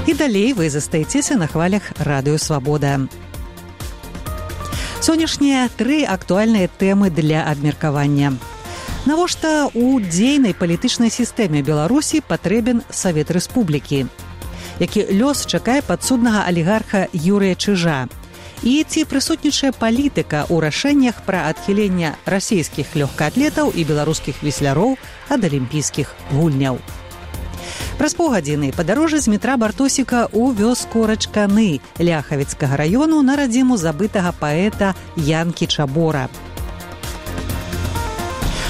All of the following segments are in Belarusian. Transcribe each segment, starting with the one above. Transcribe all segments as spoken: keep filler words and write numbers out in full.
І далей вы застаецеся на хвалях Радыё Свабода. Сённяшнія тры актуальныя тэмы для абмеркавання. Навошта ў дзейнай палітычнай сістэме Беларусі патрэбен Савет Рэспублікі? Які лёс чакае падсуднага алігарха Юрыя Чыжа? І ці прысутнічае палітыка ў рашэннях пра адхіленне расійскіх лёгкаатлетаў і беларускіх весляроў ад алімпійскіх гульняў? Праз паўгадзіны падарожжа з метра Бартосіка ў вёску Рачканы Ляхавіцкага раёну на радзіму забытага паэта Янкі Чабора.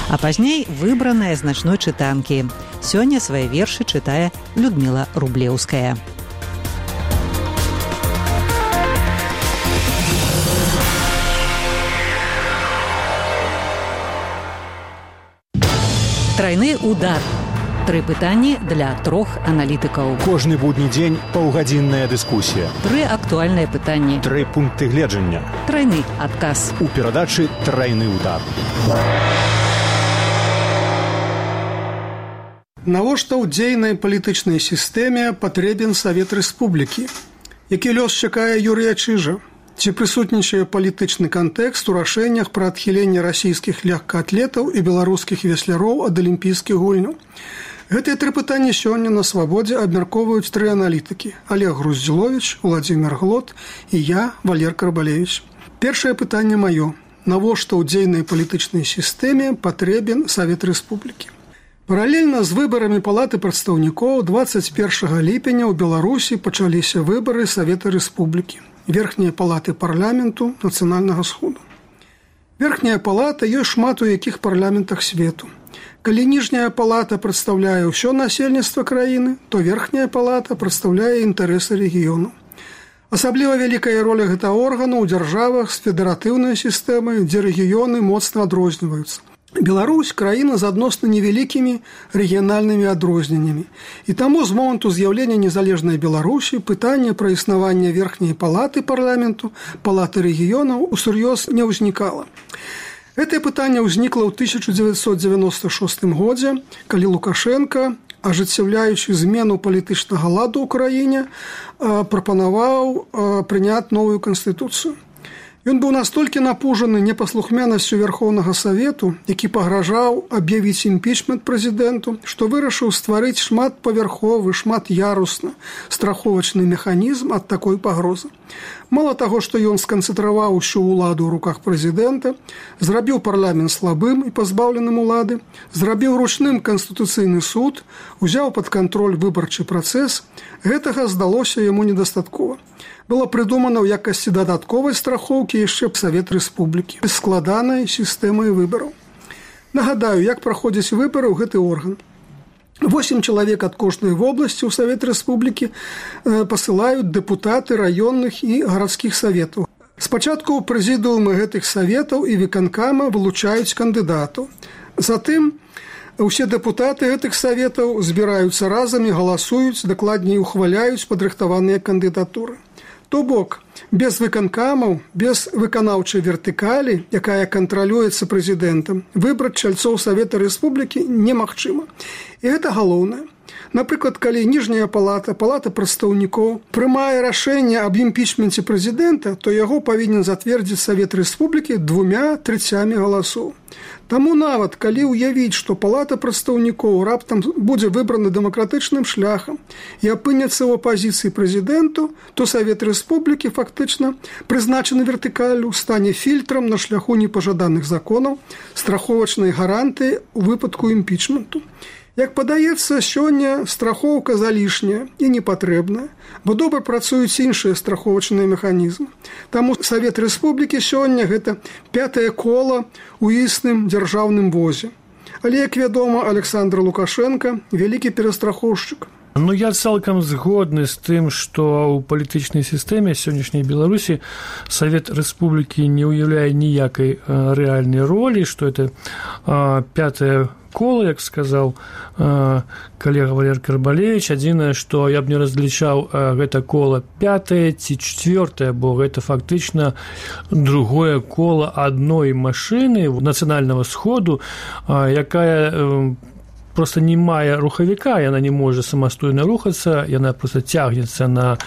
А пазней выбраная з начной чытанкі. Сёння свае вершы чытае Людміла Рублеўская. Трайны удар. Тры пытанні для трох аналітыкаў. Кожны будні дзень паўгадзінная дыскусія. Тры актуальныя пытанні. Тры пункты гледжання. Трайны адказ. У перадачы «Трайны удар». Навошта ў дзейнай палітычнай сістэме патрэбен Савет Рэспублікі? Які лёс чакае Юрыя Чыжа? Ці прысутнічае палітычны кантэкст у рашэннях пра адхіленне расійскіх лёгкаатлетаў і беларускіх весляроў ад алімпійскіх гульняў? Гэтыя тры пытанні сёння на Свабодзе абмяркоўваюць тры аналітыкі: Олег Груздзіловіч, Владзімір Глот і я, Валер Карбалевіч. Першае пытанне маё. Навошта ў дзейнай палітычнай сістэме патрэбен Савет Рэспублікі? Паралельна з выбарамі Палаты прадстаўнікоў дваццаць першага ліпеня ў Беларусі пачаліся выбары Савета Рэспублікі, верхняя палаты парламенту нацыянальнага сходу. Верхняя палата ёсць шмат у якіх парламентах свету. Калі ніжняя палата прадстаўляе ўсё насельніцтва краіны, то верхняя палата прадстаўляе інтарэсы рэгіёну. Асабліва вялікая роля гэтага органа ў дзяржавах з федэратыўнай сістэмай, дзе рэгіёны моцна адрозніваюцца. Беларусь – краіна з адносна невялікімі рэгіянальнымі адрозненнямі. І таму з моманту з'яўлення незалежнай Беларусі пытанне пра існаванне верхняй палаты парламенту, палаты рэгіёнаў усур'ёз не ўзнікала. Гэтае пытанне ўзнікла ў тысяча дзевяцьсот дзевяноста шостым годзе, калі Лукашенка, ажыццяўляючы змену палітычнага ладу ў краіне, прапанаваў прыняць новую канстытуцыю. Ён быў настолькі напужаны непаслухмянасцю Верхоўнага Савету, які пагражаў аб'явіць імпічмент прэзідэнту, што вырашыў стварыць шматпавярховы, шмат'ярусны страховачны механізм ад такой пагрозы. Мала таго, што ён сканцэнтраваў усю ўладу ў руках прэзідэнта, зрабіў парламент слабым і пазбаўленым улады, зрабіў ручным канстытуцыйны суд, узяў пад кантроль выбарчы працэс, гэтага здалося яму недастаткова. Было прыдумана ў якасці дадатковай страхоўкі яшчэ Савет Рэспублікі з складанай сістэмай выбараў. Нагадаю, як праходзіць выбары ў гэты орган. Восем чалавек ад кожнай вобласці ў Савет Рэспублікі пасылаюць дэпутаты раённых і гарадскіх саветаў. Спачатку ў прэзідыумы гэтых саветаў і выканкама вылучаюць кандыдатаў. Затым усе дэпутаты гэтых саветаў збіраюцца разам і галасуюць, дакладней ухваляюць падрыхтаваныя кандыдатуры. То бок, без выканкамаў, без выканаўчай вертыкалі, якая кантралюецца прэзідэнтам, выбраць чальцоў Савета Рэспублікі немагчыма. І гэта галоўнае. Напрыклад, калі ніжняя палата, палата прадстаўнікоў прымае рашэнне аб імпічменце прэзідэнта, то яго павінен зацвердзіць Савет Рэспублікі двумя трэцямі галасоў. Таму нават, калі ўявіць, што палата прадстаўнікоў раптам будзе выбрана дэмакратычным шляхам і апынецца ў апазіцыі прэзідэнту, то Савет Рэспублікі фактычна прызначаны вертыкаллю стане фільтрам на шляху непажаданых законаў, страховачнай гарантыі ў выпадку імпічменту. Як падаецца, сёння страхоўка залішняя і непатрэбная, бо добра працуюць іншыя страховачныя механізмы. Таму Савет Рэспублікі сёння гэта пятае кола ў існым дзяржаўным возе. Але, як вядома, Александр Лукашенко вялікі перастрахоўшчык. Ну, я цалкам згодны з тым, што ў палітычнай сістэме сённяшняй Беларусі Савет Рэспублікі не ўяўляе ніякай рэальнай ролі, што это пятае кола, як сказаў калега Валер Карбалевіч. Адзінае, што я б не разлічаў гэта кола пятае ці чвёртае, бо гэта фактычна другое кола адной машыны нацыянальнага сходу, якая просто не мае рухавіка, яна не можа самастойна рухацца, яна просто цягнецца на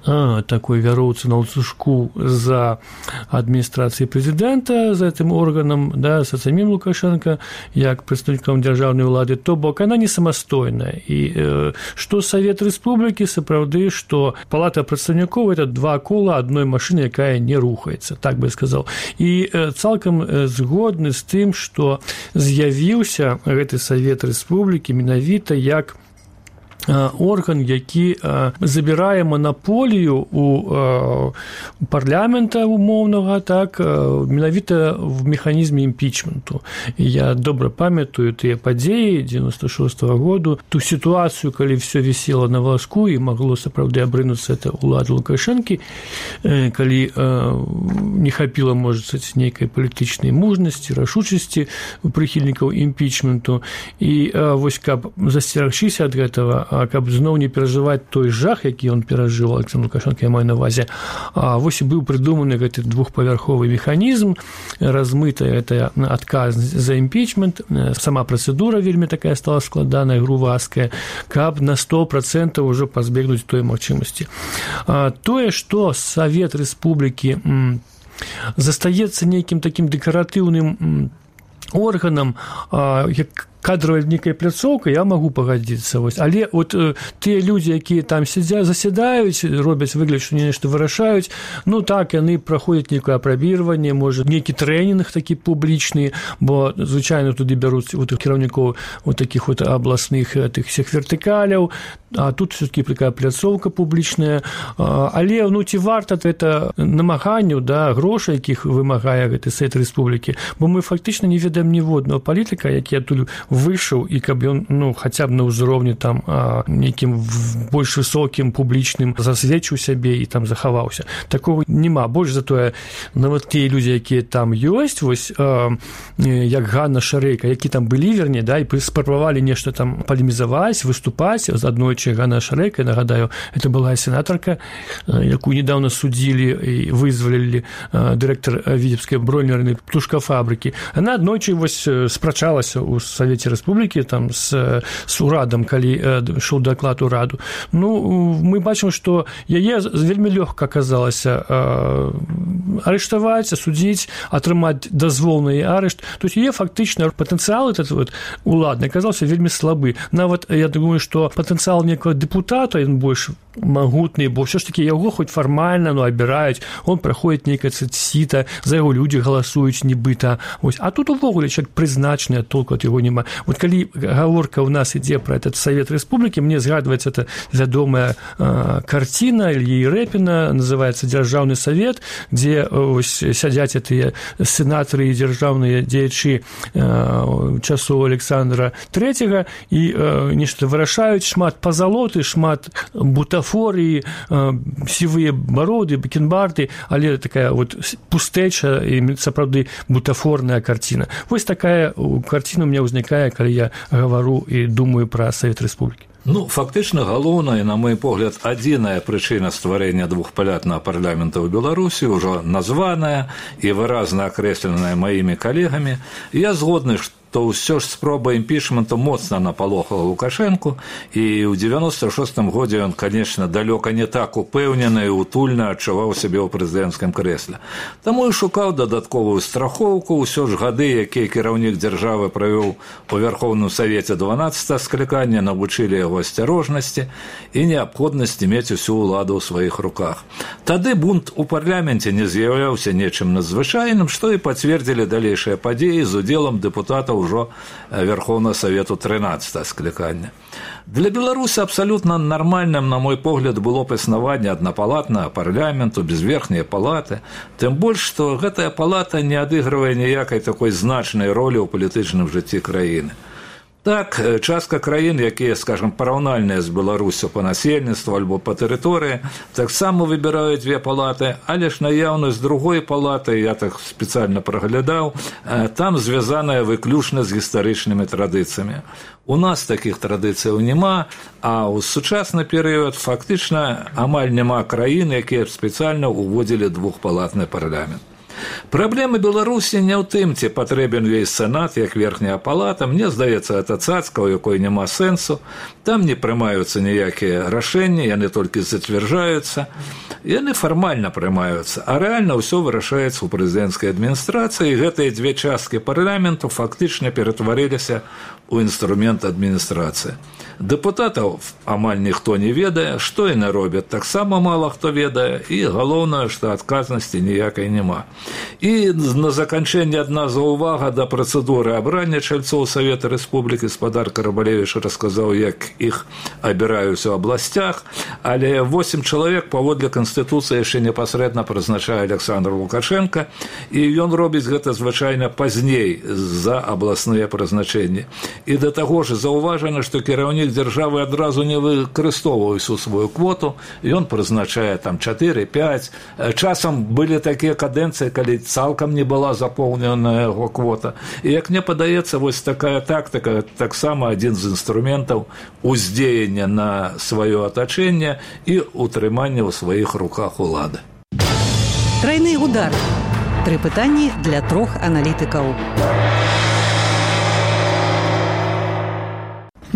а, такой вяроўцы на ланцужку за адміністрацыяй прэзідэнта, за гэтым органам, да, за самім Лукашенко, як прадстаўніком дзяржаўнай улады, то бок яна не самастойная. І э, што Савет Рэспублікі, сапраўды, што палата прадстаўнікоў – это два кола адной машыны, якая не рухаецца, так бы я сказаў. І э, цалкам э, згодны з тым, што з'явіўся гэты Савет Рэспублікі менавіта як орган, які забірае манаполію у парламента умоўнага, так, менавіта в механізме імпічменту. Я добра памятаю тыя падзеі дзевяносто шостага году, ту сітуацыю, калі все вісело на валаску і магло сапраўды абрынуцца это ўлады Лукашэнкі, калі не хапіла, можа, нейкай палітычнай мужнасці, рашучасці прыхільнікаў імпічменту. І вось каб засцерагчыся ад гэтага, каб зноў не перажываць той жах, які ён перажыў, Александр Лукашенко, я маю на ўвазе, вось і быў прыдуманы гэты двухпавярховы механізм, размытая гэта адказнасць за імпічмент, сама працэдура вельмі такая стала складаная, грувасткая, каб на сто процентаў ужо пазбегнуць той магчымасці. Тое, што Савет Рэспублікі застаецца нейкім такім дэкаратыўным органам, як кадровая нейкая пляцоўка, я магу пагадзіцца. Вось. Але от э, тыя людзі, якія там сядзя, засядаюць, робяць выгляд, што нешта вырашаюць, ну так, яны праходзяць нейкае апрабіраванне, можа, нейкі трэнінг такі публічны, бо звычайна туды бяруць вот, кіраўнікоў вот такіх вот абласных тых всех вертыкаляў, а тут все-таки такая пляцоўка публічная. Але, ну, ці варта это намаганняў, да, грошай, якіх вымагае гэты Савет Рэспублікі, бо мы фактычна не ведаем ніводнага палітыка, які адтуль выйшаў, і каб ён, ну, хаця б на ўзроўні там а, нейкім больш высокім публічным засведчыў сябе і там захаваўся. Такого няма. Больш затое, нават тыя людзі, якія там ёсць, вось а, як Ганна Шарэйка, які там былі, верней, да, і спрабавалі нешта там палемізаваць, выступаць. З аднойчы Ганна Шарэйка, нагадаю, это была сенатарка, якую недавно судзілі і вызвалілі дырэктар Віцебскай бронернай птушкафабрыкі. Яна аднойчы вось спрачалася ў Савеце Рэспублікі там з, з урадам, калі ішоў даклад ураду. Ну, мы бачым, што яе вельмі лёгка аказалася арыштаваць, асудзіць, атрымаць дазвол на яе арышт. То есть яе фактычна патэнцыял этот вот уладны аказаўся вельмі слабы. Нават я думаю, што патэнцыял некага дэпутата, ён больш магутны, бо ўсё ж такі яго хоць фармальна, ну, абіраюць, он праходзіць нейкае сіта, за яго людзі галасуюць нібыта. Ось. А тут увогуле чалавек прызначаны, толку ад яго няма. Вот калі гаворка ў нас ідзе пра этот Савет Рэспублікі, мне згадваецца эта вядомая э, карціна Ільі Рэпіна, называецца «Дзяржаўны савет», дзе ось, сядзяць тыя сенатары і дзяржаўныя дзеячы э, часоў Александра Трэцяга і э, нешта вырашаюць, шмат пазалоты, шмат бутафорыі, э, сівыя бароды, бакенбарды, але такая вот пустэча і сапраўды бутафорная карціна. Вось такая карціна у меня ўзнікае, калі я гавару і думаю пра Савет Рэспублікі. Ну, фактычна, галоўная, на мой погляд, адзіная прычына стварэння двухпалятнага парламента ў Беларусі, ўжо названая і выразна акрэсленая маімі калегамі. Я згодны, што то ўсё ж спроба імпічменту моцна напалохала Лукашэнку, і ў дзевяносто шостым годзе ён, конечно, далёка не так упэўнена і утульна адчуваў сябе ў прэзідэнцкім крэсле. Таму і шукаў дадатковую страхоўку. Ўсё ж гады, якія кіраўнік дзяржавы правёў у Вярхоўным Савеце дванаццатага склікання, навучылі яго асцярожнасці і неабходнасці мець усю ўладу ў сваіх руках. Тады бунт у парламенце не з'яўляўся нечым надзвычайным, што і пацвердзілі далейшыя падзеі з удзелам дэпутатаў ўжо Верховного Совету трынаццатага склікання. Для Беларуси абсолютно нормальным, на мой погляд, было б існаванне аднапалатнага парламенту без верхняй палаты, тым больш, што гэтая палата не адыгрывае ніякай такой значнай ролі ў палітычным жыцці краіны. Так, частка краін, якія, скажем, параўнальныя з Беларусю па насельніцтву альбо па тэрыторыі, таксама выбіраюць дзве палаты, але ж наяўнасць другой палаты, я так спецыяльна праглядаў, там звязаная выключна з гістарычнымі традыцыямі. У нас такіх традыцыяў няма, а ў сучасны перыяд фактычна амаль няма краін, якія б спецыяльна ўводзілі двухпалатны парламент. Праблема Беларусі не ў тым, ці патрэбен увесь сенат, як верхняя палата. Мне здаецца, гэта цацка, у якой няма сэнсу. Там не прымаюцца ніякія рашэнні, яны толькі зацвярджаюцца. Яны фармальна прымаюцца, а рэальна ўсё вырашаецца ў прэзідэнцкай адміністрацыі, і гэтыя дзве часткі парламенту фактычна ператварыліся ў інструмент адміністрацыі. Дэпутатаў амаль ніхто не ведае, што яны робяць, таксама мала хто ведае, і галоўнае, што адказнасці ніякай няма. І на заканчэнне адна заўвага да працэдуры абрання чальцоў Савета Рэспублікі. Спадар Карабалевіч расказаў, як іх абіраюць у абласцях, але восем чалавек паводле Канстытуцыі яшчэ непасрэдна прызначае Александр Лукашенко, і ён робіць гэта звычайна пазней за абласныя прызначэнні. І да таго ж заўважана, што кіраўнік дзяржавы адразу не выкарыстоўвае усю сваю квоту, ён прызначае там чатыры-пяць. Часам былі такія кадэнцыі, калі цалкам не была запоўнена яго квота. І як мне падаецца, вось такая тактыка таксама адзін з інструментаў уздзеяння на сваё атачэнне і утрымання ў сваіх руках улады. Трайны удар. Тры пытанні для трох аналітыкаў.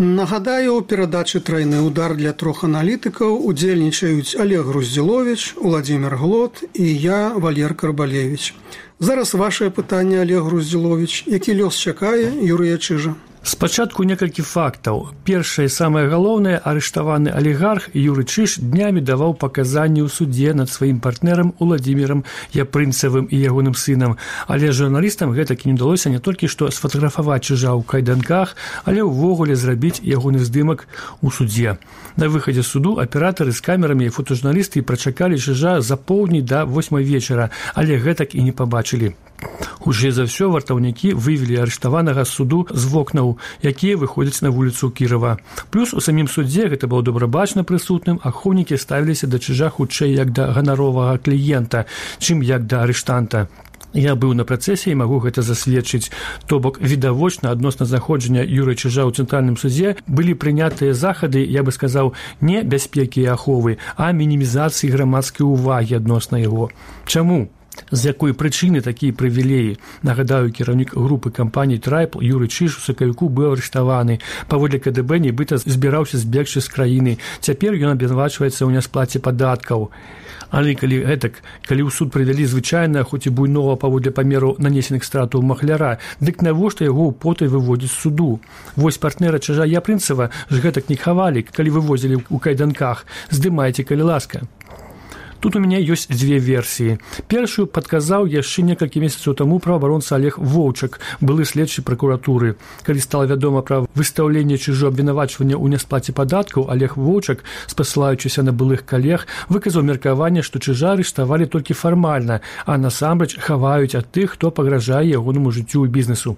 Нагадаю, у перадачы «Трайны удар» для трох аналітыкаў удзельнічаюць Олег Груздзіловіч, Уладзімір Глот і я, Валер Карбалевіч. Зараз вашае пытанне, Олег Груздзіловіч. Які лёс чакае Юрыя Чыжа? Спачатку некалькі фактаў. Першае, самае галоўнае, арыштаваны алігарх Юрый Чыж днямі даваў паказанні ў судзе над сваім партнерам Уладзімірам Япрынцавым і ягоным сынам. Але журналістам гэтакі не ўдалося не толькі што сфатаграфаваць Чыжа ў кайданках, але ўвогуле зрабіць ягоны здымак у судзе. На выхадзе суду аператары з камерамі і фотожурналісты прачакалі Чыжа за поўдні да восьмай вечара, але гэтак і не пабачылі. Хутчэй за ўсё вартаўнікі вывелі арыштаванага з суду з вокнаў, якія выходзяць на вуліцу Кірова. Плюс у самім судзе гэта было добра бачна прысутным, ахоўнікі ставіліся да Чыжа хутчэй як да ганаровага кліента, чым як да арыштанта. Я быў на працэсе і магу гэта засведчыць. То бок, відавочна, адносна знаходжання Юрыя Чыжа ў цэнтральным судзе былі прынятыя захады, я бы сказаў, не бяспекі і аховы, а мінімізацыі грамадскай увагі адносна яго. Чаму? З якой прычыны такія прывілеі? Нагадаю, кіраўнік групы кампаній «Трайпл» Юрый Чыж у сакавіку быў арыштаваны. Паводле ка дэ бэ нібыта збіраўся збегчы з краіны. Цяпер ён абвінавачваецца ў нясплаце падаткаў. Але калі гэтак, калі ў суд прывялі звычайна, хоць і буйнова паводле памеру нанесеных стратаў махляра, дык навошта яго ў потай выводзіць з суду? Вось партнера Чыжа Япрынцава ж гэтак не хавалі, калі вывозілі ў кайданках. Здымайце, калі ласка. Тут у меня ёсць дзве версіі. Першую падказаў яшчэ некалькі месяцаў таму праваабаронца Олег Воўчак, былы следчы пракуратуры. Калі стала вядома пра выстаўленне Чыжу абвінавачвання ў нясплаце падаткаў, Олег Воўчак, спасылаючыся на былых калег, выказаў меркаванне, што Чыжа арыштавалі толькі фармальна, а насамрэч хаваюць ад тых, хто пагражае ягонаму жыццю і бізнесу.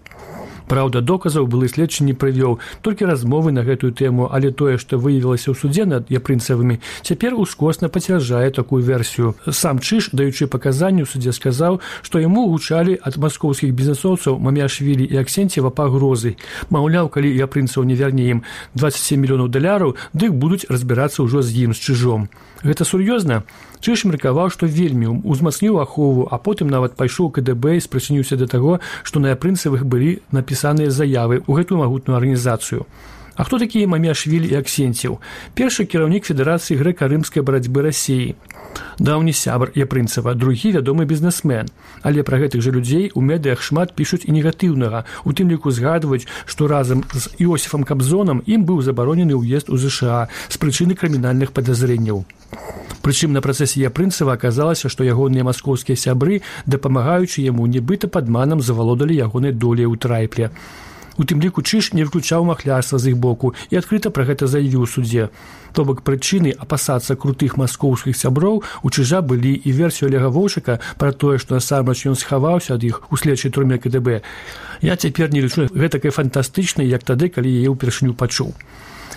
Праўда, доказаў былы следчы не прывёў, толькі размовы на гэтую тэму, але тое, што выявілася ў судзе над Япрынцавымі, цяпер ускосна пацвярджае такую версію. Сам Чыж, даючы паказанні ў судзе, сказаў, што яму гучалі ад маскоўскіх бізнесоўцаў Маміашвілі і Аксенцева пагрозы. Маўляў, калі Япрынцаў не вярне ім дваццаць сем мільёнаў даляраў, дык будуць разбірацца ўжо з ім, з Чыжом. Гэта сур'ёзна? Чыж меркаваў, што вельмі узмацніў ахову, а потым нават пайшоў ка дэ бэ і спрычыніўся да таго, што на Япрынцавых былі напісаныя заявы ў гэтую магутную арганізацыю. А хто такія Маміашвілі і Аксенцев? Першы кіраўнік Федэрацыі грэка-рымскай барацьбы Расіі. Даўні сябар Япрынцава, другі вядомы бізнесмен. Але пра гэтых жа людзей у медыях шмат пішуць і негатыўнага. У тым ліку згадваюць, што разам з Іосіфам Кабзонам ім быў забаронены ўезд у ЗША з прычыны крымінальных падазрэнняў. Прычым на працэсе Япрынцава аказалася, што ягоныя маскоўскія сябры, дапамагаючы яму, нібыта падманам завалодалі ягонай доляй у Трайпле. У тым ліку Чыж не выключаў махлярства з іх боку і адкрыта пра гэта заявіў у судзе. То бок прычыны апасацца крутых маскоўскіх сяброў у Чыжа былі і версію Олега Воўчака пра тое, што насамрэч ён схаваўся ад іх у следчай турме ка дэ бэ. Я цяпер не лічу гэтакай фантастычнай, як тады, калі яе ўпершыню пачуў.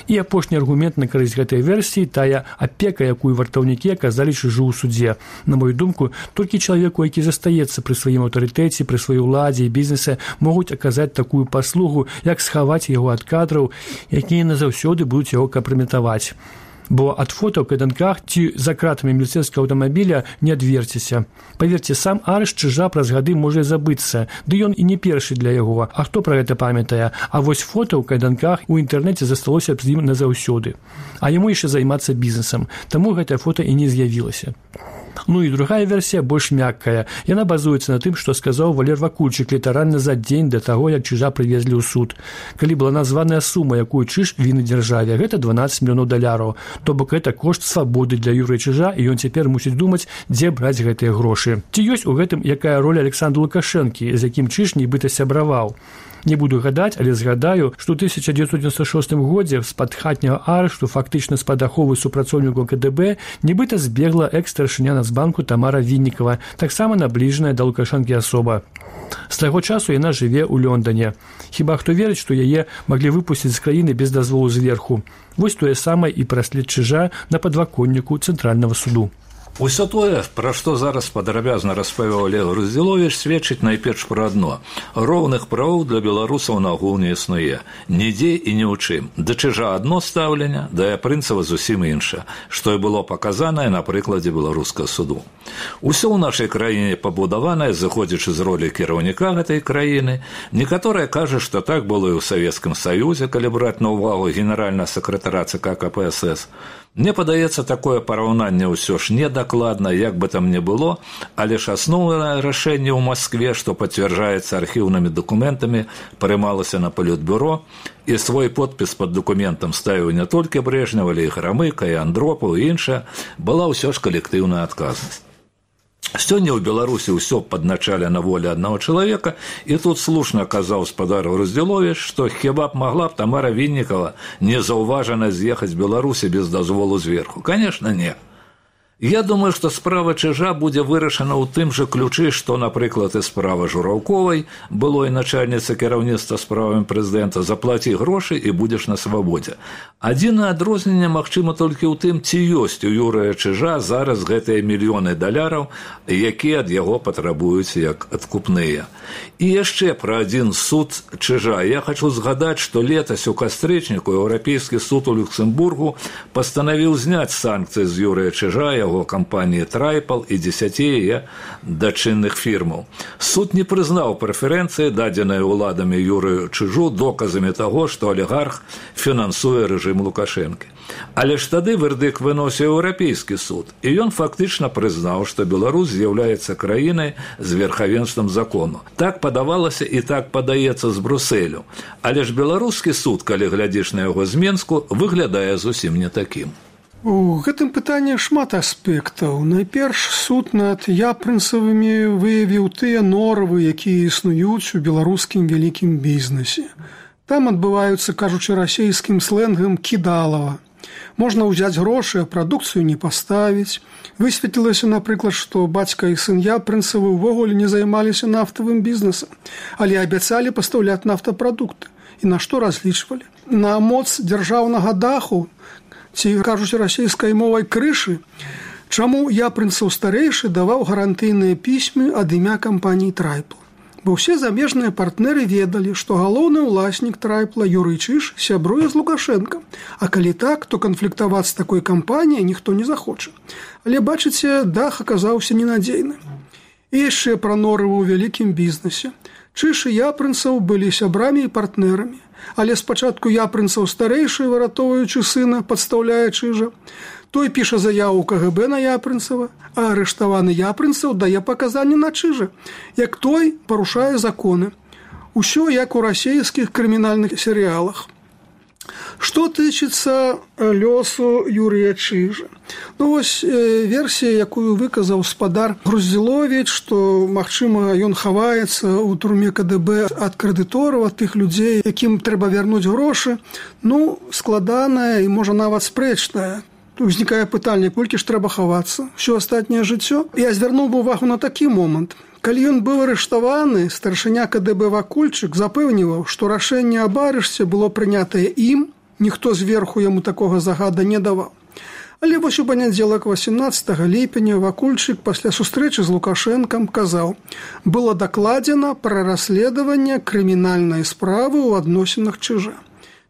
І апошні аргумент на карысць гэтай версіі тая апека, якую вартаўнікі аказалі Чыжу ў судзе. На мою думку, толькі чалавеку, які застаецца пры сваім аўтарытэце, пры сваёй уладзе і бізнесе, могуць аказаць такую паслугу, як схаваць яго ад кадраў, якія назаўсёды будуць яго кампраметаваць. бо ад фота ў кайданках ці за кратамі міліцэйскага аўтамабіля не адверцеся. Паверце, сам арышт Чижа праз гады можа забыцца, ды ён і не першы для яго. А хто пра гэта памятае? А вось фота ў кайданках у інтэрнэце засталося з ім назаўсёды. А яму яшчэ займацца бізнесам, таму гэтае фота і не з'явілася. Ну і другая версія больш мяккая. Яна базуецца на тым, што сказаў Валер Вакульчык літаральна за дзень да таго, як Чижа прывезлі ў суд. Калі была названая сума, якую Чиж віны дзяржаве, гэта дванаццаць мільёнаў даляраў. То бок гэта кошт свабоды для Юрыя Чижа, і ён цяпер мусіць думаць, дзе браць гэтыя грошы. Ці ёсць у гэтым якая роля Александру Лукашэнкі, з якім Чиж нібыта сябраваў? Не буду гадаць, але згадаю, што ў тысяча дзевяцьсот дзевяносто шостым годзе з-пад хатняга арышту, фактычна з-пад аховы супрацоўнікаў ка дэ бэ, нібыта збегла экс-старшыня Нацбанку Тамара Віннікава, таксама набліжаная да Лукашэнкі асоба. З таго часу яна жыве ў Лондане. Хіба хто верыць, што яе маглі выпусціць з краіны без дазволу зверху? Вось тое самае і пра след Чижа на падваконніку Цэнтральнага суду. Усё тое, пра што зараз падрабязна распавёў Олег Груздзіловіч, сведчыць найперш пра адно. Роўных правоў для беларусаў нагул не існуе. Нідзе і ні ў чым. Да Чижа адно стаўленне, да Япрынцава зусім іншае, што і было паказанае на прыкладзе беларускага суду. Усё ў нашай краіне пабудаванае, зыходзячы з ролі кіраўніка гэтай краіны. Некаторыя кажа, што так было і ў Савецкім Саюзе, калі браць на ўвагу генеральнага сакратара ЦК ка пэ эс эс. Мне падаецца, такое параўнанне ўсё ж недакладна, як бы там не было, але ж асноўнае рашэнне ў Маскве, што пацвярджаецца архіўнымі дакументамі, прымалася на палітбюро, і свой подпіс пад дакументам ставіў не толькі Брэжнеў, але і Грамыка, і Андропаў, і іншая, была ўсё ж калектыўная адказнасць. Сёння ў Беларусі ўсё падначалена волі аднаго чалавека, і тут слушна казаў спадар Груздзіловіч, што хіба б магла б Тамара Віннікава незаўважана з'ехаць з Беларусі без дазволу зверху? Канешне, не. Я думаю, што справа Чижа будзе вырашана ў тым жа ключы, што, напрыклад, і справа Жураўковай, былой начальніцы кіраўніцтва справамі прэзідэнта, заплаці грошы і будзеш на свабодзе. Адзінае адрозненне магчыма толькі ў тым, ці ёсць у Юрыя Чижа зараз гэтыя мільёны даляраў, якія ад яго патрабуюць як адкупныя. І яшчэ пра адзін суд Чижа. Я хачу згадаць, што летась у кастрычніку Еўрапейскі суд у Люксембургу пастанавіў зняць санкцыі з Юрыя Чижа, яго кампаніі «Трайпал» і дзесяці яе дачынных фірмаў. Суд не прызнаў прэферэнцыі, дадзеныя ўладамі Юрыю Чижу, доказамі таго, што алігарх фінансуе рэжым Лукашэнкі. Але ж тады вердыкт выносіў Еўрапейскі суд, і ён фактычна прызнаў, што Беларусь з'яўляецца краінай з верхавенствам закону. Так падавалася і так падаецца з Брусэлю. Але ж беларускі суд, калі глядзіш на яго з Менску, выглядае зусім не такім. У гэтым пытанні шмат аспектаў. Найперш суд над Япрынцавымі выявіў тыя норавы, якія існуюць у беларускім вялікім бізнесе. Там адбываюцца, кажучы расейскім сленгам, кідалава. Можна ўзяць грошы, а прадукцыю не паставіць. Высветлілася, напрыклад, што бацька і сын Япрынцавы ўвогуле не займаліся нафтавым бізнесам, але абяцалі пастаўляць нафтапрадукты. І на што разлічвалі? На моц дзяржаўнага даху, ці, кажуць расійскай мовай, крышы, чаму Япрынцаў старэйшы даваў гарантыйныя пісьмы ад імя кампаніі «Трайпал». Бо ўсе замежныя партнеры ведалі, што галоўны ўласнік «Трайпла» Юрый Чиж сябруе з Лукашэнкам, а калі так, то канфліктаваць з такой кампаніяй ніхто не захоча. Але, бачыце, дах аказаўся ненадзейным. І яшчэ пра норавы ў вялікім бізнесе. Чиж і Япрынцаў былі сябрамі і партнерамі. Але спачатку Япрынцаў старэйшы, выратоўваючы сына, падстаўляе Чижа. Той піша заяву ка гэ бэ на Япрынцава, а арыштаваны Япрынцаў дае паказанні на Чижа, як той парушае законы. Усё як у расійскіх крымінальных серыялах. Што тычыцца лёсу Юрыя Чижа? Ну, вось версія, якую выказаў спадар Груздзіловіч, што, магчыма, ён хаваецца ў турме ка дэ бэ ад крэдытораў, ад тых людзей, якім трэба вярнуць грошы, ну, складаная і, можа, нават спрэчная. Узнікае пытанне, колькі ж трэба хавацца? Усё астатняе жыццё? Я звярнуў бы увагу на такі момант. Калі ён быў арыштаваны, старшыня ка дэ бэ Вакульчык запэўніваў, што рашэнне аб арышце было прынятае ім, ніхто зверху яму такога загада не даваў. Але вось у панядзелак васемнаццатага ліпеня Вакульчык пасля сустрэчы з Лукашэнкам казаў: «Было дакладзена пра расследаванне крымінальнай справы ў адносінах Чижа».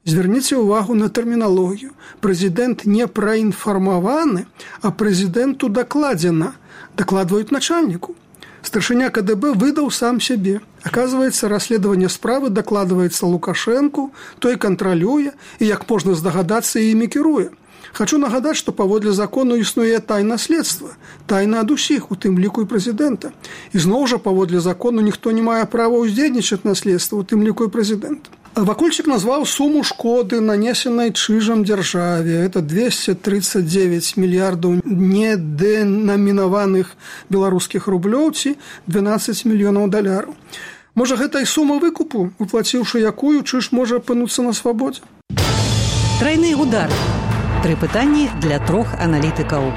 Звярніце ўвагу на тэрміналогію. Прэзідэнт не праінфармаваны, а прэзідэнту дакладзена. Дакладваюць начальніку. Старшыня ка дэ бэ выдаў сам сябе. Аказваецца, расследаванне справы дакладваецца Лукашэнку, той кантралюе і, як можна здагадацца, імі кіруе. Хачу нагадаць, што паводле закону існуе тайна следства. Тайна ад усіх, у тым ліку і прэзідэнта. І зноў жа паводле закону ніхто не мае права ўздзейнічаць на следства, у тым ліку і прэзідэнта. Вакульчык назваў суму шкоды, нанесенай Чыжам дзяржаве. Это двести тридцать девять мільярдаў недэнамінаваных беларускіх рублёў ці двенадцать мільёнаў даляраў. Можа, гэта і сума выкупу, уплаціўшы якую, Чыж можа апынуцца на свабодзе? Трайны удар. Тры пытанні для трох аналітыкаў.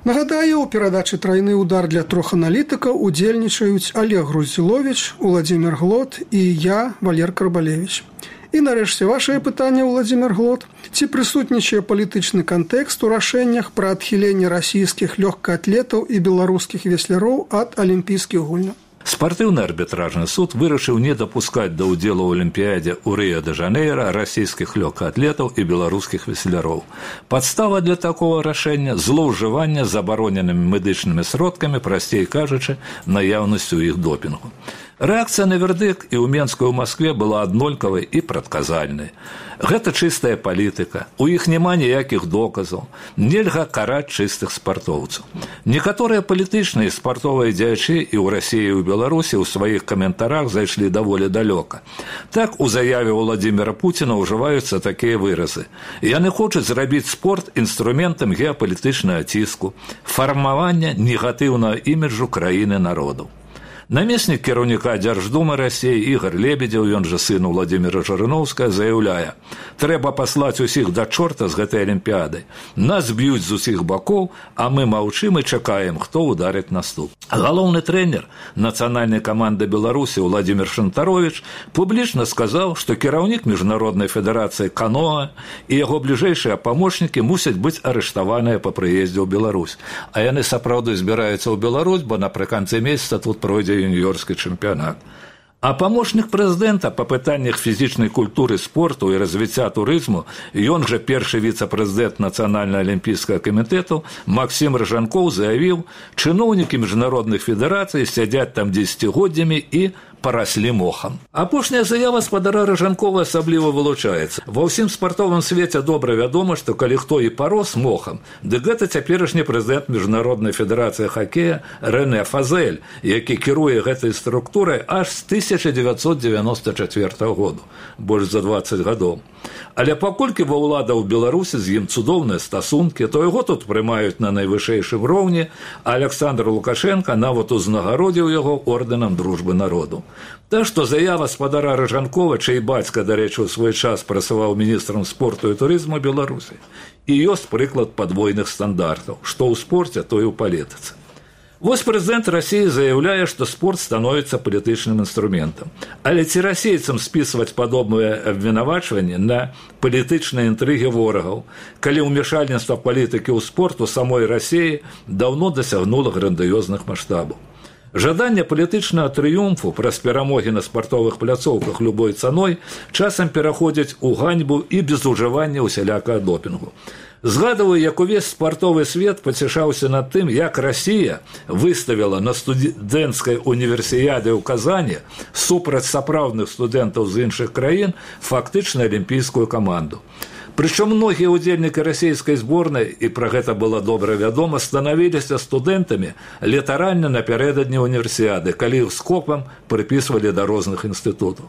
Нагадаю, у перадачы «Трайны удар» для трох аналітыкаў удзельнічаюць Олег Груздзіловіч, Уладзімір Глот і я, Валер Карбалевіч. І нарэшце вашае пытанне, Уладзімір Глот. Ці прысутнічае палітычны кантэкст у рашэннях пра адхіленне расійскіх лёгкаатлетаў і беларускіх весляроў ад алімпійскіх гульняў? Спартыўны арбітражны суд вырашыў не дапускаць да ўдзелу ў алімпіядзе ў Рыё-дэ-Жанейра расійскіх лёгкаатлетаў і беларускіх весляроў. Падстава для такога рашэння – злоўжывання забароненымі медычнымі сродкамі, прасцей кажучы, наяўнасцю іх допінгу. Рэакцыя на вердыкт і ў Менску і ў Маскве была аднолькавай і прадказальнай. Гэта чыстая палітыка, у іх няма ніякіх доказаў, нельга караць чыстых спартоўцаў. Некаторыя палітычныя і спартовыя дзеячы і ў Расіі, і ў Беларусі ў сваіх каментарах зайшлі даволі далёка. Так, у заяве Владзіміра Пуціна ўжываюцца такія выразы. Яны хочуць зрабіць спорт інструментам геапалітычнага ціску, фармавання негатыўнага іміджу краіны народаў. Намеснік кіраўніка Дзярждумы Расіі Ігор Лебедзеў, ён жа сын Владзіміра Жырыноўскага, заяўляе: «Трэба паслаць усіх да чорта з гэтай алімпіядай. Нас б'юць з усіх бакоў, а мы маўчым і чакаем, хто ударыць наступ». Галоўны трэнер нацыянальнай каманды Беларусі Владзімір Шантаровіч публічна сказаў, што кіраўнік міжнароднай федэрацыі каноэ і яго бліжэйшыя памочнікі мусяць быць арыштаваныя па прыездзе ў Беларусь. А яны сапраўды збіраюцца ў Беларусь, бо напрыканцы месяца тут пройдзе юніёрскі чэмпіянат. А памочнік прэзідэнта па пытаннях фізічнай культуры, спорту і развіцця турызму, ён жа першы віцэ-прэзідэнт Нацыянальнага алімпійскага камітэту Максім Рыжанкоў заявіў: «Чыноўнікі міжнародных федэрацый сядзяць там дзесяцігоддзямі і параслі мохам». Апошняя заява спадара Рыжанкова асабліва вылучаецца. Ва ўсім спартовым свеце добра вядома, што калі хто і парос мохам, дык гэта цяперашні прэзідэнт Міжнароднай федэрацыі хакея Рэнэ Фазэль, які кіруе гэтай структурай аж з тысяча дзевяцьсот дзевяноста чацвёртага году, больш за дваццаць гадоў. Але паколькі ва ўлада ў Беларусі з ім цудоўныя стасункі, то яго тут прымаюць на найвышэйшым роўні, а Александр Лукашенко нават узнагародзіў яго ордэнам дружбы народу. Так што заява спадара Рыжанкова, чый бацька, дарэчы, у свой час працаваў міністрам спорту і турызму Беларусі, і ёсць прыклад падвойных стандартаў, што ў спорце, то і ў палітыцы. Вось прэзідэнт Расіі заяўляе, што спорт становіцца палітычным інструментам. Але ці расейцам спісваць падобнае абвінавачванне на палітычныя інтрыгі ворагаў, калі ўмешальніцтва палітыкі ў спорт у самой Расіі даўно дасягнула грандыёзных маштабаў. Жаданне палітычнага трыумфу праз перамогі на спартовых пляцоўках любой цаной часам пераходзяць у ганьбу і безужыванне усялякага допінгу. Згадываю, як увесь спартовы свет пацішаўся над тым, як Расія выставіла на студэнцкай універсіяде ў Казані супраць сапраўдных студэнтаў з іншых краін фактычна алімпійскую каманду. Прычым многія ўдзельнікі расійскай зборнай, і пра гэта было добра вядома, станавіліся студэнтамі літаральна напярэдадні універсіяды, калі іх скопам прыпісвалі да розных інстытутаў.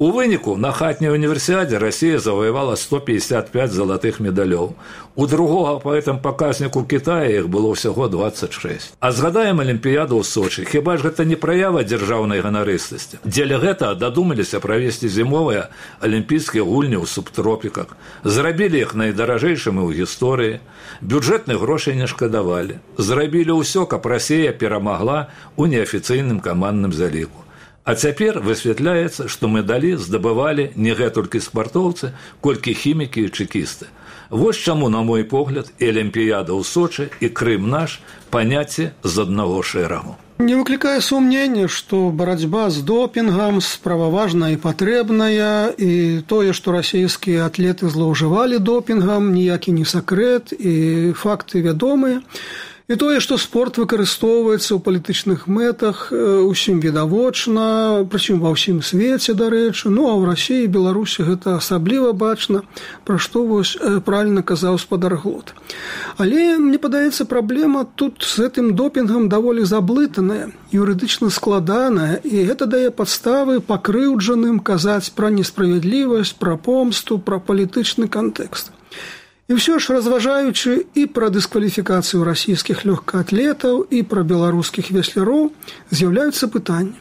У выніку на хатняй універсіадзе Расія заваявала сто пятьдесят пять залатых медалёў. У другога па гэтым паказніку Китая іх было ўсяго двадцать шесть. А згадаем алімпіяду ў Сочы. Хіба ж гэта не праява дзяржаўнай ганарыстасці? Дзеля гэтага дадумаліся правесці зімовыя алімпійскія гульні ў субтропіках. Зрабілі іх найдаражэйшымі ў гісторыі. Бюджэтных грошай не шкадавалі. Зрабілі ўсё, каб Расія перамагла ў неафіцыйным камандным заліку. А цяпер высвятляецца, што медалі здабывалі не гэтулькі спартоўцы, колькі хімікі і чэкісты. Вось чаму, на мой погляд, і алімпіяда ў Сочы, і Крым наш паняцці з аднаго шэрагу. Не выклікае сумнення, што барацьба з допінгам справа важная і патрэбная, і тое, што расійскія атлеты злоўжывалі допінгам, ніякі не сакрэт, і факты вядомыя. І тое, што спорт выкарыстоўваецца ў палітычных мэтах, усім відавочна, прычым ва ўсім свеце, дарэчы, ну а ў Расіі і Беларусі гэта асабліва бачна, пра што вось правільна казаў спадар Глот. Але, мне падаецца, праблема тут з гэтым допінгам даволі заблытаная, юрыдычна складаная, і гэта дае падставы пакрыўджаным казаць пра несправядлівасць, пра помсту, пра палітычны кантэкст. І ўсё ж, разважаючы і пра дыскваліфікацыю расійскіх лёгкаатлетаў, і пра беларускіх весляроў, з'яўляюцца пытанні.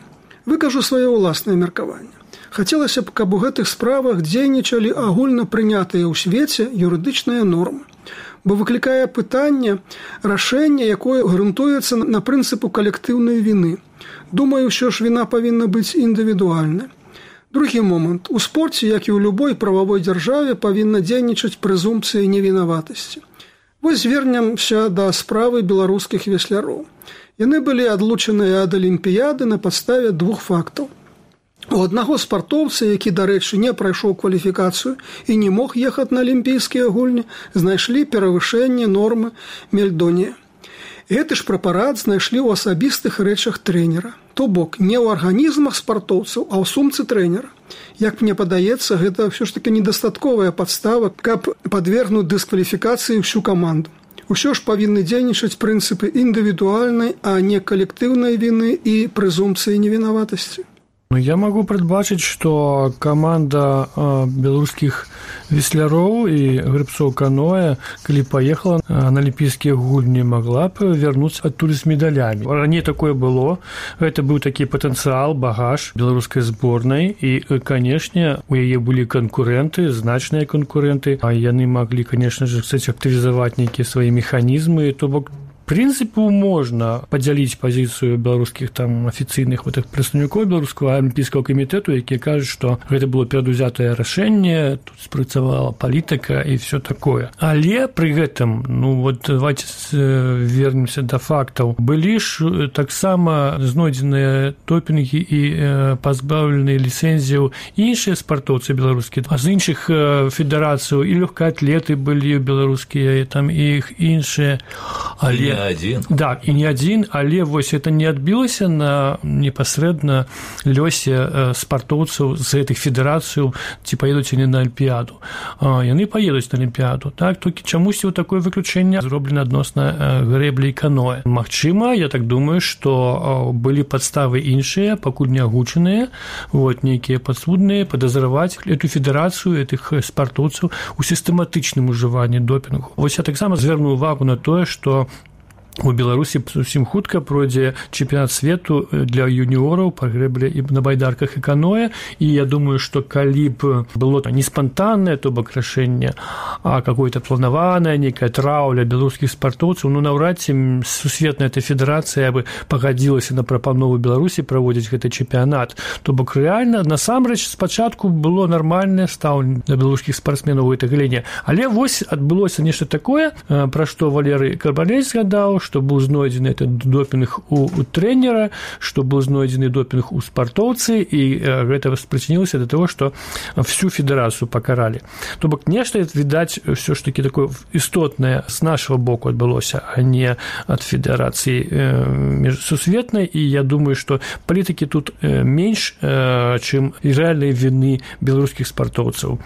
Выкажу сваё ўласнае меркаванне. Хацелася б, каб у гэтых справах дзейнічалі агульна прынятыя ў свеце юрыдычныя нормы, бо выклікае пытанне рашэння, якое грунтуецца на прынцыпу калектыўнай віны. Думаю, ўсё ж віна павінна быць індывідуальнай. Другі момант. У спорце, як і ў любой прававой дзяржаве, павінна дзейнічаць прэзумпцыя невінаватасці. Вось звернемся да справы беларускіх весляроў. Яны былі адлучаныя ад алімпіяды на падставе двух фактаў. У аднаго спартоўца, які, дарэчы, не прайшоў кваліфікацыю і не мог ехаць на алімпійскія гульні, знайшлі перавышэнне нормы мельдонія. Гэты ж прэпарат знайшлі ў асабістых рэчах трэнера. То бок, не ў арганізмах спартоўцаў, а ў сумцы трэнера. Як мне падаецца, гэта ўсё ж такі недастатковая падстава, каб падвергнуць дыскваліфікацыі ўсю каманду. Усё ж павінны дзейнічаць прынцыпы індывідуальнай, а не калектыўнай віны і прэзумпцыі невінаватасці. Ну, я могу предбачыць, што каманда э, беларускіх весляроў і грыбцоў каноэ, калі паехала на алімпійскія гульні, магла б вярнуцца адтуль з медалямі. Раней такое было. Гэта быў такі патэнцыял, багаж беларускай зборнай, і, канешне, у яе былі канкурэнты, значныя канкурэнты, а яны маглі, канешне ж, актывізаваць нейкія свае механізмы, то бок прынцыпу можна падзяліць пазіцыю беларускіх там афіцыйных гэтых прадстаўнікоў беларускага алімпійскага камітэту, якія кажуць, што гэта было перадузятае рашэнне, тут спрацавала палітыка і все такое. Але пры гэтым, ну вот давайте вернемся да фактаў. Былі ж таксама знойдзеныя допінгі і пазбаўленыя ліцэнзіяў іншыя спартоўцы беларускія, а з іншых федэрацыяў і лёгкаатлеты былі беларускія, там і іх іншыя, але Один. Да, і не адзін, але вось это не адбілася на непасрэдна лёсе спартоўцаў з гэтых федэрацыяў, ці паедуць яны на алімпіяду. Яны паедуць на алімпіяду, так, толькі чамусьці ў такое выключэнне зроблена адносна грэблі і каноэ. Магчыма, я так думаю, што былі падставы іншыя, пакуль не агучаныя, вот, нейкія падсудныя, падазраваць эту федэрацыю, этых спартоўцаў у сістэматычным ужыванні допінгу. Вось я таксама звярну увагу на тое, што у Беларусі зусім хутка пройдзе чэмпіянат свету для юніораў па грэблі і на байдарках і каноэ, і я думаю, што калі б было не спантаннае, то бок рашэнне, а какое-то планаванае, нейкая траўля беларускіх спартоўцаў, ну наўрад ці сусветная эта федэрацыя бы пагадзілася на прапанову Беларусі праводзіць гэты чэмпіянат. То бок рэальна, насамрэч, спачатку было нармальнае стаўленне да беларускіх спартсменаў у гэтай галіне. Але вось адбылося нешта такое, пра што Валерый Карбалей згадаў, што быў знойдзены этот допінг у, у трэнера, што быў знойдзены допінг у спартоўцы, і э, гэта спрычынілася да таго, што всю федэрацыю пакаралі. То бок нешта, відаць, ўсё ж такі такое істотнае з нашага боку адбылося, а не ад федэрацыі э, сусветнай, і я думаю, што палітыкі тут э, менш, э, чым рэальнай віны беларускіх спартоўцаў.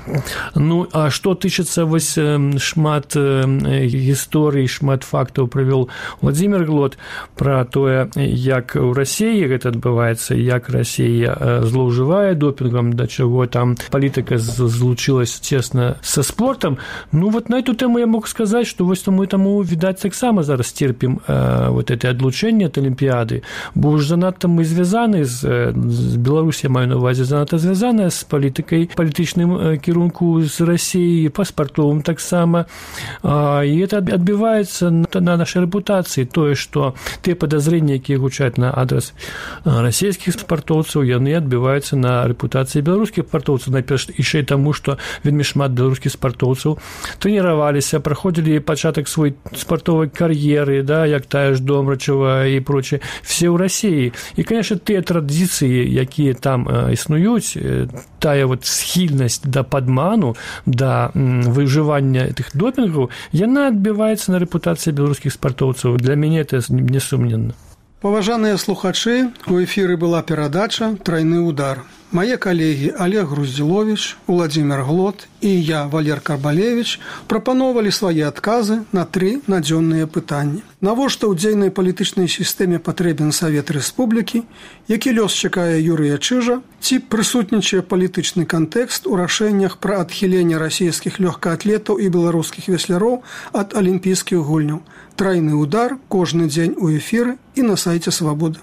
Ну, а што тычыцца вось э, шмат э, гісторый, шмат фактаў правёл Владзімір Глот пра тое, як у Расіі гэта адбываецца, як Расія злоўжывае допінгам, да чаго там палітыка злучылась цесна са спортам. Ну вот на эту тэму я мог сказаць, што вось мы таму, відаць, таксама зараз терпім э, вот это адлучэнне ад алімпіяды, бо ўж занадта мы звязаны з, з Беларусі, я маю на увазе, занадта звязаная з палітыкай, палітычным э, кірунку з Расіі, па спартовым таксама, э, і это адбіваецца на, на нашай рэпутацыі. рэпутацыі, тое, што тыя падазрэнні, якія гучаць на адрас расійскіх спартоўцаў, яны адбіваюцца на рэпутацыі беларускіх спартоўцаў. Найперш яшчэ і таму, што вельмі шмат беларускіх спартоўцаў трэніраваліся, праходзілі пачатак свой спартовай кар'еры, да, як тая ж Домрачева і прочее, все ў Расіі. І, конечно, тыя традыцыі, якія там існуюць, тая вот схільнасць да падману, да выжывання тых допінгаў, яна адбіваецца на рэпутацыі беларускіх спартоўцаў. Для мяне это несумненна. Паважаныя слухачы, у эфіры была перадача «Трайны удар». Мае калегі Олег Груздзіловіч, Уладзімір Глот і я, Валер Карбалевіч, прапановалі свае адказы на тры надзённыя пытанні. Навошта ў дзейнай палітычнай сістэме патрэбен Савет Рэспублікі, які лёс чакае Юрыя Чыжа, ці прысутнічае палітычны кантэкст у рашэннях пра адхіленне расійскіх лёгкаатлетаў і беларускіх весляроў ад алімпійскіх гульняў. Трайны удар кожны дзень у эфіры і на сайце Свабоды.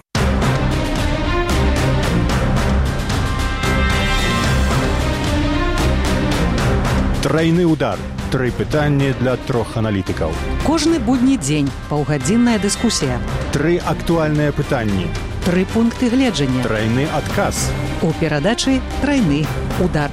Трайны удар. Тры пытанні для трох аналітыкаў. Кожны будні дзень паўгадзінная дыскусія. Тры актуальныя пытанні. Тры пункты гледжання. Трайны адказ. У перадачы «Трайны удар».